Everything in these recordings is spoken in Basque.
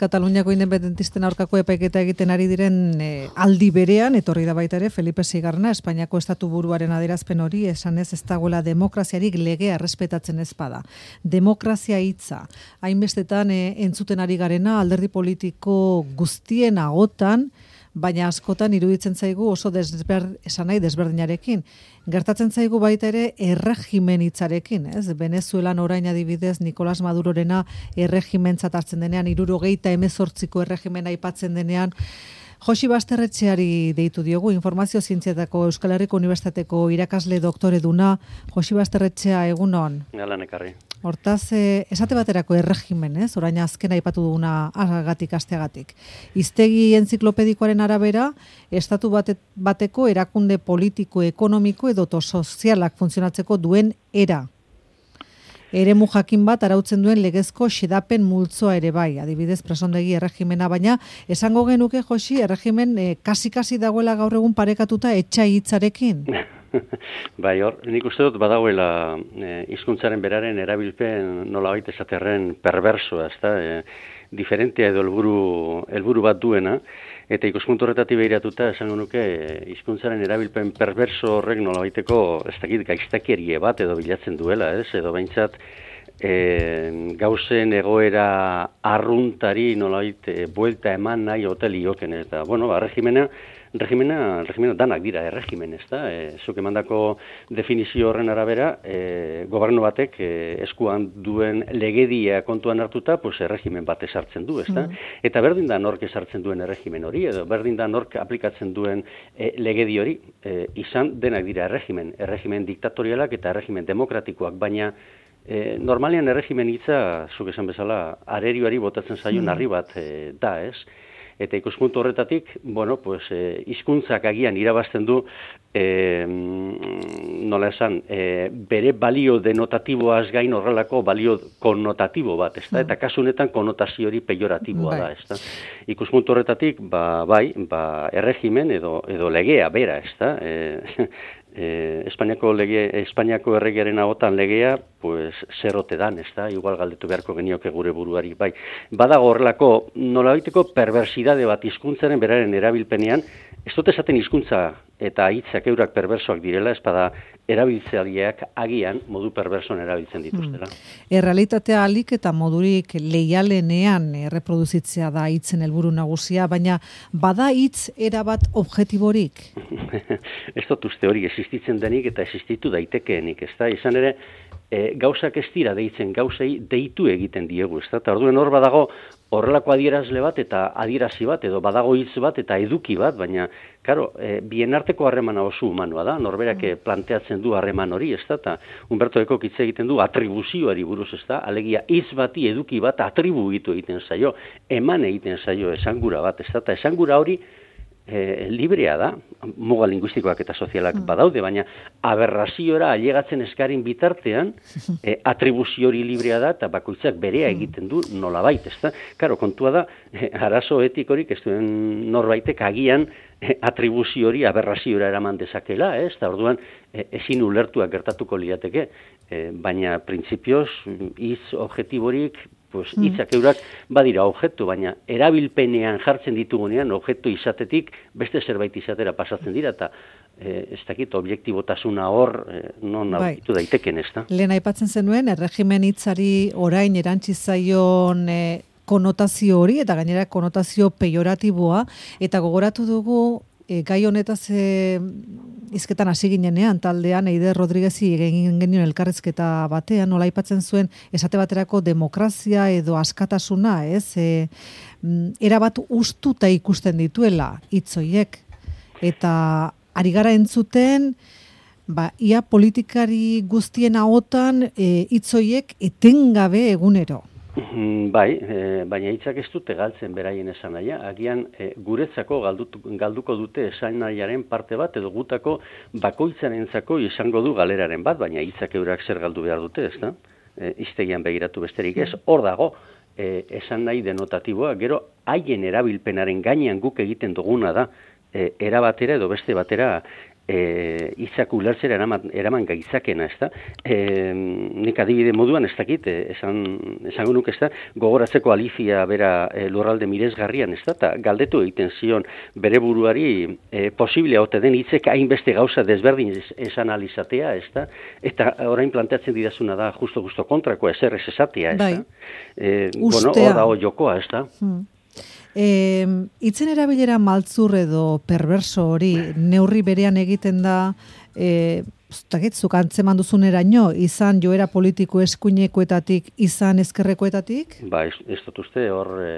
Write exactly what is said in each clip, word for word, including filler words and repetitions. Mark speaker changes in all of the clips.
Speaker 1: Kataluniako independentisten aurkako epaiketa egiten ari diren e, aldi berean, etorri da baita ere Felipe Seigarrena, Espainiako estatu buruaren adierazpen hori esanez ez dagoela demokraziarik legea errespetatzen ez bada. Demokrazia hitza, hainbestetan e, entzuten ari garena alderdi politiko guztien ahotan, baina askotan iruditzen zaigu oso desber, esan nahi desberdinarekin. Gertatzen zaigu baita ere erregimen hitzarekin, ez? Venezuelan orain adibidez Nicolás Madurorena erregimentzat hartzen denean, hirurogeita hemezortziko erregimena aipatzen denean, Josi Basterretxeari deitu diogu, Informazio Zientzietako Euskal Herriko Unibertsitateko irakasle doktoreduna. Josi Basterretxea, egunon.
Speaker 2: Galan ekarri.
Speaker 1: Hortaz, eh, esate baterako erregimen, ez? Orain azken aipatu duguna agatik, asteagatik. Hiztegi entziklopedikoaren arabera, estatu bate, bateko erakunde politiko, ekonomiko edo sozialak funtzionatzeko duen era. Eremu jakin bat arautzen duen legezko xedapen multzoa ere bai, adibidez presondegi erregimena, baina esango genuke, Josi, erregimen eh, kasi-kasi dagoela gaur egun parekatuta etxai hitzarekin.
Speaker 2: Bai, hor, nik uste dut badagoela eh, hizkuntzaren beraren erabilpen nolabait esaterren perversoa, ezta, eh, diferentea edo helburu helburu bat duena, eta ikuspuntu horretatik behiratuta esango nuke hizkuntzaren erabilpen perverso horrek nolabaiteko ez dakit gaiztakierie bat edo bilatzen duela, ez? Edo behintzat e, gauzen egoera arruntari nolabait e, buelta eman nahi ote lioken, eta bueno, ba, regimena Regimena, regimena danak dira erregimen, ez da? E, zuk emandako definizio horren arabera, e, gobernu batek e, eskuan duen legedia kontuan hartuta, pues erregimen bat esartzen du, ez da? Mm. Eta berdin da nork esartzen duen erregimen hori, edo berdin da nork aplikatzen duen e, legedi hori, e, izan denak dira erregimen, erregimen diktatorialak eta erregimen demokratikoak, baina e, normalean erregimen hitza, zuk esan bezala, arerioari botatzen zaio narri bat e, da, ez? Eta ikuspuntu horretatik, bueno, pues, eh, hizkuntzak agian irabazten du, eh, nola esan, eh, bere balio denotatiboaz gain horrelako balio konnotatibo bat, ez da? Eta kasu honetan konnotazio hori pejoratiboa da, ez da? Ikuspuntu horretatik, ba, bai, ba, erregimen edo, edo legea bera, ez da? Eh, Eh, Espainiako lege, Espainiako erregearen ahotan legea, pues zer ote dan, ez da? Igual galdetu beharko genioke gure buruari, bai. Badago horrelako nolabaiteko perversidade bat hizkuntzaren beraren erabilpenean, ez dut esaten hizkuntza eta hitzak eurak perversoak direla, ez bada erabiltzaileak agian modu perversoan erabiltzen dituztela.
Speaker 1: Hmm. Errealitatea alik eta modurik leialenean erreproduzitzea da hitzen helburu nagusia, baina bada hitz erabat objektiborik?
Speaker 2: Ez dut uste hori existitzen denik eta existitu daitekeenik, ez da? Izan ere, e, gauzak ez dira deitzen, gauzei deitu egiten diegu, ez da? Eta orduen hor badago horrelako adierazle bat eta adierazi bat, edo badago hitz bat eta eduki bat, baina, karo, e, bien arteko harremana oso humanoa da, norberak mm. planteatzen du harreman hori, ez da? Eta Humberto Ecok hitz egiten du atribuzioari buruz, ez da? Alegia, hitz bati eduki bat atribuitu egiten zaio, eman egiten zaio esangura bat, ez da? Eta esangura hori E, librea da, muga linguistikoak eta sozialak mm. badaude, baina aberraziora ailegatzen eskarin bitartean e, atribuzio hori librea da eta bakoitzak berea egiten du nolabait, ezta? Karo, kontua da, e, arazo etikorik ez duen norbaitek agian e, atribuzio hori aberraziora eraman dezakela, ez? Eta orduan e, ezin ulertuak gertatuko lirateke, e, baina printzipioz hitz objektiborik pues hitzak eurak badira objektu, baina erabilpenean jartzen ditugunean objektu izatetik beste zerbait izatera pasatzen dira, eta eh, ez dakit objektibotasuna hor eh, non aurkitu bai. Daiteken, ez da?
Speaker 1: Lehen aipatzen zenuen, erregimen hitzari orain erantzi zaion eh, konotazio hori, eta gainera konotazio pejoratiboa, eta gogoratu dugu E, gai honetaz e, izketan hasi ginenean, taldean Eider Rodriguezi egin genuen elkarrezketa batean, nola aipatzen zuen esate baterako demokrazia edo askatasuna, ez? E, erabat ustuta ikusten dituela hitz horiek. Eta ari gara entzuten, ba, ia politikari guztien ahotan hitz e, horiek etengabe egunero.
Speaker 2: Bai, e, baina hitzak ez dute galtzen beraien esanaia. Agian e, guretzako galdutu, galduko dute esanaiaren parte bat, edo gutako bakoitzarentzako izango du galeraren bat, baina hitzak eurak zer galdu behar dute, ez da? E, hiztegian begiratu besterik ez, hor dago e, esan nahi denotatiboa, gero haien erabilpenaren gainean guk egiten duguna da, e, era batera edo beste batera e, itzak ulertzera eraman, eraman gaitzakena, ez da? E, nik adibide moduan ez dakit, esan, esango nuke, ez da, gogoratzeko Alicia bera e, lurralde miresgarrian, ez da, eta galdetu egiten zion bere buruari e, posible ote den hitzek hainbeste gauza desberdin esan alizatea, ez da? Eta orain planteatzen didazuna da justo-justo kontrakoa, ezer ez esatea, ez da? E, bueno, hor dago jokoa, ez da?
Speaker 1: Hmm. E, itzen erabilera maltzur edo perverso hori neurri berean egiten da, e, zuk antzeman duzuneraino, izan joera politiko eskuinekoetatik, izan ezkerrekoetatik?
Speaker 2: Ba, ez, ez dut uste, hor e,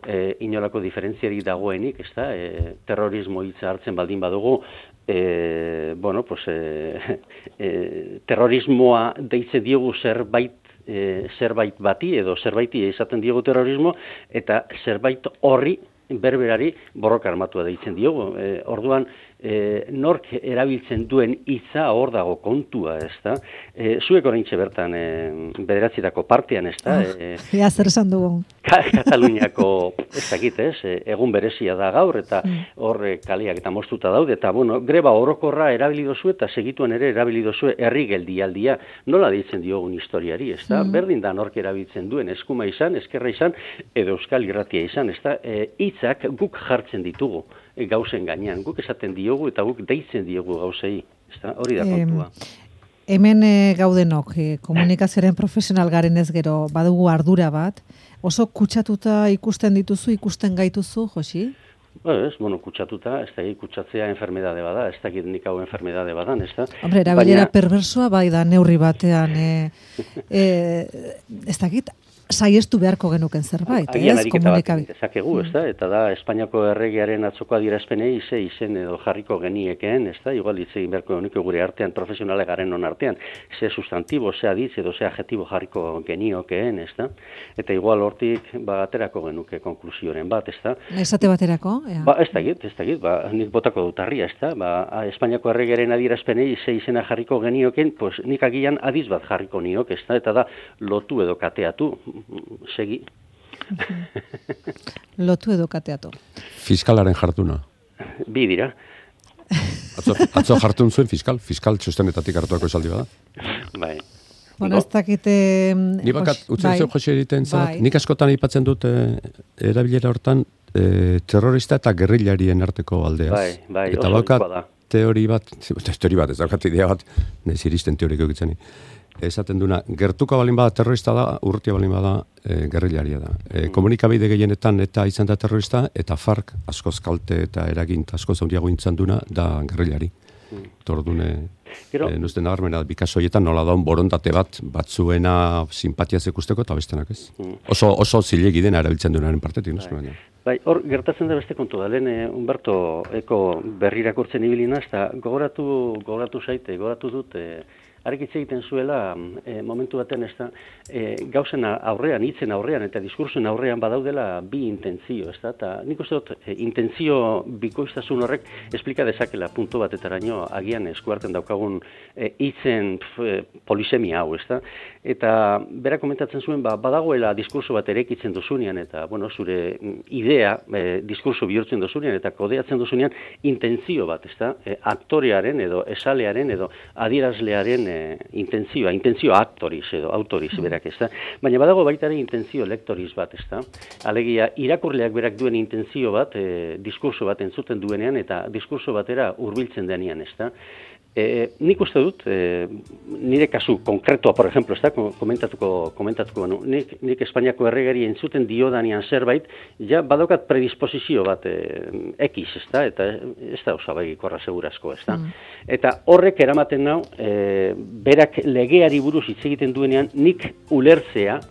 Speaker 2: e, inolako diferentziarik dagoenik, ez da, e, terrorismo hitza hartzen baldin badugu, e, bueno, pues, e, e, terrorismoa deitze diogu zerbait, E, zerbait bati edo zerbaiti izaten diogu terrorismo eta zerbait horri berberari borroka armatua deitzen diogu. E, orduan, e, nork erabiltzen duen hitza hor dago kontua, ez da? E, zuek oraintxe bertan e, bederatzietako partean, ez da?
Speaker 1: Oh, e, ja, zer esan dugu.
Speaker 2: Kataluniako, ez dakit, ez? Egun berezia da gaur, eta hor kaleak eta moztuta daude, eta, bueno, greba orokorra erabili dozu eta segituan ere erabili dozu herri geldialdia. Nola deitzen diogun historiari, ez da? Mm. Berdin da nork erabiltzen duen, eskuma izan, eskerra izan, edo euskal irratia izan, ez da? E, hitzak guk jartzen ditugu e, gauzen gainean, guk esaten diogu eta guk deitzen diogu gauzei, ez da? Hori da kontua.
Speaker 1: E, hemen e, gaudenok, e, komunikazioaren profesional garen ez gero, badugu ardura bat, oso kutsatuta ikusten dituzu, ikusten gaituzu, Josi?
Speaker 2: Ba, ez, bueno, kutsatuta, ez da, kutsatzea enfermedade bada, ez dakit nik hau enfermedade badan, ez da?
Speaker 1: Hombre, erabilera Baina... perversoa bai da neurri batean, e, e, ez dakit, saiestu beharko genuken zerbait, ez?
Speaker 2: Komunikabi. Ezakegu, ez da? Eta da, Espainiako erregearen atzoko adierazpenei ze izen edo jarriko geniekeen, ez da? Igual hitz egin beharko genuke gure artean, profesionale garen non artean, ze sustantibo, ze aditz edo ze adjetibo jarriko geniokeen, ez da? Eta igual hortik, ba, aterako genuke konklusioren bat, ez da?
Speaker 1: Esate baterako? Ja.
Speaker 2: Ba, ez dakit, ez dakit, ba, nik botako dut harria, ez da? Ba, Espainiako erregearen adierazpenei ze izena jarriko geniokeen, pues nik agian adiz bat jarriko niok, ez da? Eta da, lotu edo kateatu, segi.
Speaker 1: Lotu edo kateatu.
Speaker 3: Fiskalaren jartuna.
Speaker 2: Bi dira.
Speaker 3: Atzo, atzo jartun zuen fiskal, fiskal txostenetatik hartuako esaldi bada.
Speaker 2: Bai.
Speaker 1: Bueno, ez dakite...
Speaker 3: Ni bakat, utzen bai. Zeu Jose egiten zat, bai. Nik askotan aipatzen dut e, erabilera hortan e, terrorista eta gerrillarien arteko aldeaz.
Speaker 2: Bai, bai,
Speaker 3: eta bakat teori bat, teori bat, ez daukat idea bat, neziristen teoriko egitzen. Esaten duna, gertuko balin bada terrorista da, urrutia balin bada e, gerrilaria da. E, komunikabide gehienetan eta izan da terrorista, eta FARC askoz kalte eta eragin askoz handiago intzan duna da gerrilari. Mm. Tordune, e, nuzten nabarmena, bikasoietan nola daun borontate bat, batzuena simpatiaz ikusteko eta bestenak ez. Mm. Oso, oso zilegi dena erabiltzen duenaren partetik, nuzten baina.
Speaker 2: Bai, hor, gertatzen da beste kontu da, lehen eh, Humberto Eko berrirakurtzen ibilina, eta gogoratu, gogoratu zaite, gogoratu dut, eh, Argitze egiten zuela, e, momentu baten ez da, e, gauzen aurrean, hitzen aurrean eta diskursoen aurrean badaudela bi intentzio, ez da, eta nik uste dut, e, intentzio bikoiztasun horrek esplika dezakela puntu batetaraino agian eskuarten daukagun e, hitzen e, polisemia hau, ez da, eta bera komentatzen zuen, ba, badagoela diskurso bat erekitzen duzunean, eta, bueno, zure idea e, diskurso bihurtzen duzunean, eta kodeatzen duzunean intentzio bat, ez da, e, aktorearen edo esalearen edo adierazlearen intentzioa, intentzio aktoriz edo autoriz berak, ez da. Baina badago baita ere intentzio lektoriz bat, ez da. Alegia, irakurleak berak duen intentzio bat, e, diskurso bat entzuten duenean eta diskurso batera hurbiltzen denean, ez da. E, nik uste dut, e, nire kasu konkretoa, por ejemplo, ez da, komentatuko, komentatuko, no? nik, nik Espainiako erregari entzuten diodanean zerbait, ja badaukat predisposizio bat e, ekiz, ez da, eta ez da osabagikorra segurazko, ez da. Mm. Eta horrek eramaten nau, e, berak legeari buruz hitz egiten duenean, nik ulertzea,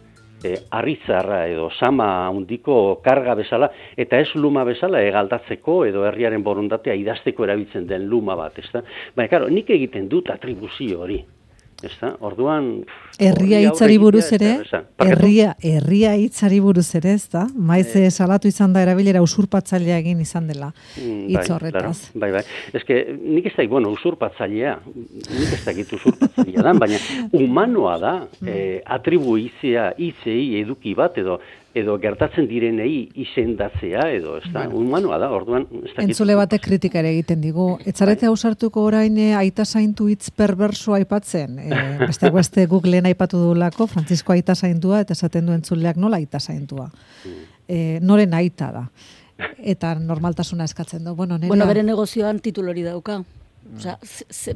Speaker 2: E, arritzarra edo sama handiko karga bezala, eta ez luma bezala egaldatzeko edo herriaren borondatea idazteko erabiltzen den luma bat, ezta? Baina, karo, nik egiten dut atribuzio hori, ezta? Orduan...
Speaker 1: Herria hitzari buruz ere, herria, herria hitzari buruz ere, ezta? Maiz e, salatu izan da erabilera usurpatzailea egin izan dela hitz horretaz.
Speaker 2: Bai, bai. Eske, nik ez da, bueno, usurpatzailea, nik ez da gitu usurpatzailea da, baina humanoa da, e, atribuizia, hitzei eduki bat, edo edo gertatzen direnei izendatzea, edo, ez da, bueno. Humanoa da, orduan...
Speaker 1: Entzule batek kritika ere egiten digu. Etzarete ausartuko orain e, aita zaintu hitz perverso aipatzen. E, beste beste Googleen aipatu dulako, Francisco aita zaintua, eta esaten du entzuleak nola aita zaintua. E, noren aita da. Eta normaltasuna eskatzen du. Bueno,
Speaker 4: bueno bere negozioan titulori dauka. Osea,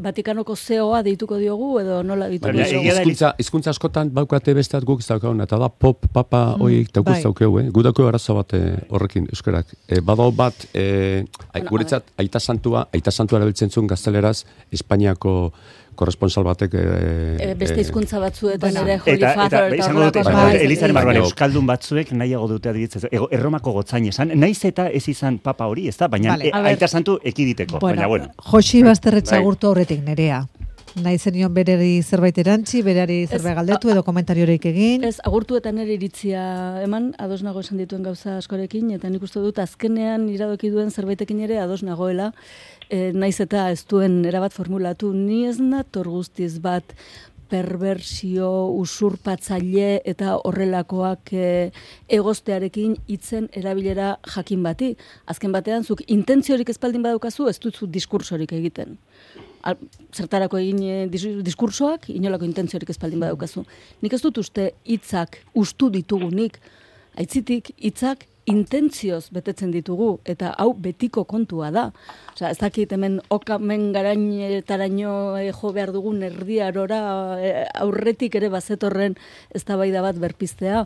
Speaker 4: Vatikanoko C E O a deituko diogu edo nola dituko diogu?
Speaker 3: Hizkuntza, hizkuntza askotan baukate besteat guk ez daukaguna, eta da pop, papa, mm, oik daukuz daukeu, eh? Gu daukeu arazo bat horrekin euskarak. E, badau bat, e, bueno, guretzat, aita santua, aita santua erabiltzen zuen gazteleraz, Espainiako korresponsal batek... E,
Speaker 4: beste hizkuntza batzuetan
Speaker 5: bueno,
Speaker 4: ere Holy Father eta horrelako.
Speaker 5: Elizaren barruan euskaldun batzuek nahiago dute adibitzez. Erromako gotzain esan, naiz eta ez izan papa hori, ez da? Baina vale, e, aita santu ekiditeko. Bueno, baina, bueno.
Speaker 1: Josi Basterretxe agurtu horretik Nerea. Nahi zenion berari zerbait erantzi, berari zerbait galdetu edo komentarioreik egin.
Speaker 4: Ez, agurtu eta nire iritzia eman, ados nago esan dituen gauza askorekin, eta nik uste dut azkenean iradoki duen zerbaitekin ere ados nagoela, e, naiz eta ez duen erabat formulatu, ni ez nator guztiz bat perversio, usurpatzaile eta horrelakoak e, egoztearekin hitzen erabilera jakin bati. Azken batean, zuk intentziorik espaldin badaukazu, ez dut diskursorik egiten. Al, zertarako egin e, diskursoak, inolako intentziorik espaldin badaukazu. Nik ez dut uste hitzak ustu ditugunik, aitzitik hitzak intentzioz betetzen ditugu, eta hau betiko kontua da. Osea, ez dakit hemen okamen garainetaraino e, jo behar dugun erdiarora e, aurretik ere bazetorren eztabaida bat berpiztea.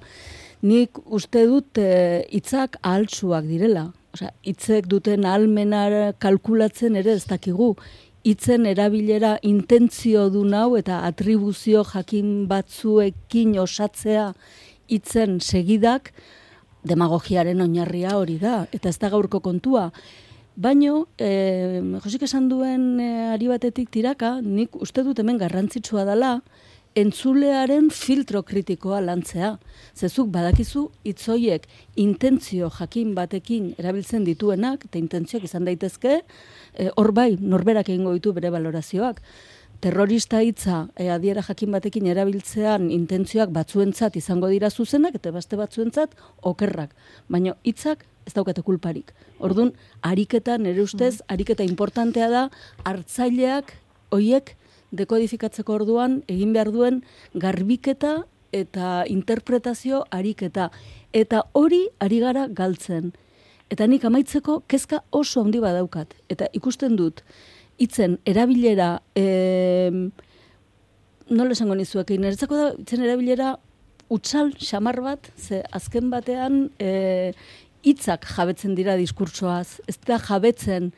Speaker 4: Nik uste dut hitzak e, ahaltsuak direla. Osea, hitzek duten ahalmena kalkulatzen ere ez dakigu. Hitzen erabilera intentzio du nau eta atribuzio jakin batzuekin osatzea hitzen segidak demagogiaren oinarria hori da, eta ez da gaurko kontua. Baino, e, Josik esan duen e, ari batetik tiraka, nik uste dut hemen garrantzitsua dela, entzulearen filtro kritikoa lantzea. Zezuk badakizu hitzoiek intentzio jakin batekin erabiltzen dituenak, eta intentzioak izan daitezke, hor e, bai, norberak egingo ditu bere balorazioak. Terrorista hitza e, adiera jakin batekin erabiltzean intentzioak batzuentzat izango dira zuzenak, eta beste batzuentzat okerrak. Baina hitzak ez daukate kulparik. Orduan, ariketa, nire ustez, ariketa importantea da, hartzaileak, hoiek, dekodifikatzeko orduan egin behar duen garbiketa eta interpretazio ariketa. Eta hori ari gara galtzen. Eta nik amaitzeko kezka oso handi badaukat. Eta ikusten dut, hitzen erabilera, e, nola esango nizuek, niretzako da, hitzen erabilera utzal xamar bat, ze azken batean e, hitzak jabetzen dira diskurtsoaz, ez da jabetzen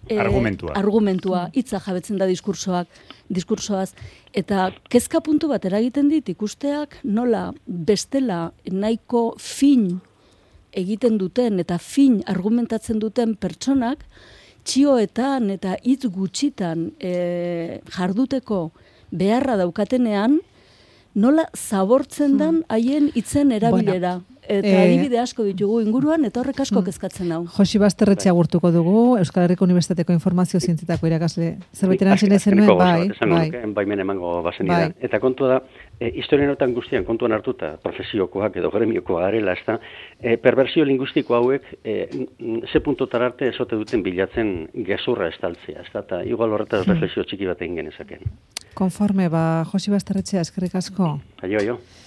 Speaker 5: E, argumentua.
Speaker 4: Argumentua, hitza jabetzen da diskursoak, diskursoaz. Eta kezka puntu bat eragiten dit ikusteak nola bestela nahiko fin egiten duten eta fin argumentatzen duten pertsonak txioetan eta hitz gutxitan e, jarduteko beharra daukatenean nola zabortzen dan haien hitzen erabilera. Bueno. Eta e, adibide asko ditugu inguruan, eta horrek asko kezkatzen hau.
Speaker 1: Josi Basterretxe agurtuko dugu, Euskal Herriko Unibertsitateko Informazio Zientzietako irakasle. Zerbait erantzile zenuen, bai,
Speaker 2: bai. Baimen emango bazen bai. Eta kontua da, e, historianotan guztian kontuan hartuta, profesiokoak edo gremiokoa garela, ez da, e, perversio linguistiko hauek, e, ze puntotar arte ezote duten bilatzen gezurra estaltzea, ez da, eta igual horretaz hmm. reflexio txiki bat egin genezaken.
Speaker 1: Konforme, ba, Josi Basterretxea, eskerrik asko.
Speaker 2: Aio, aio.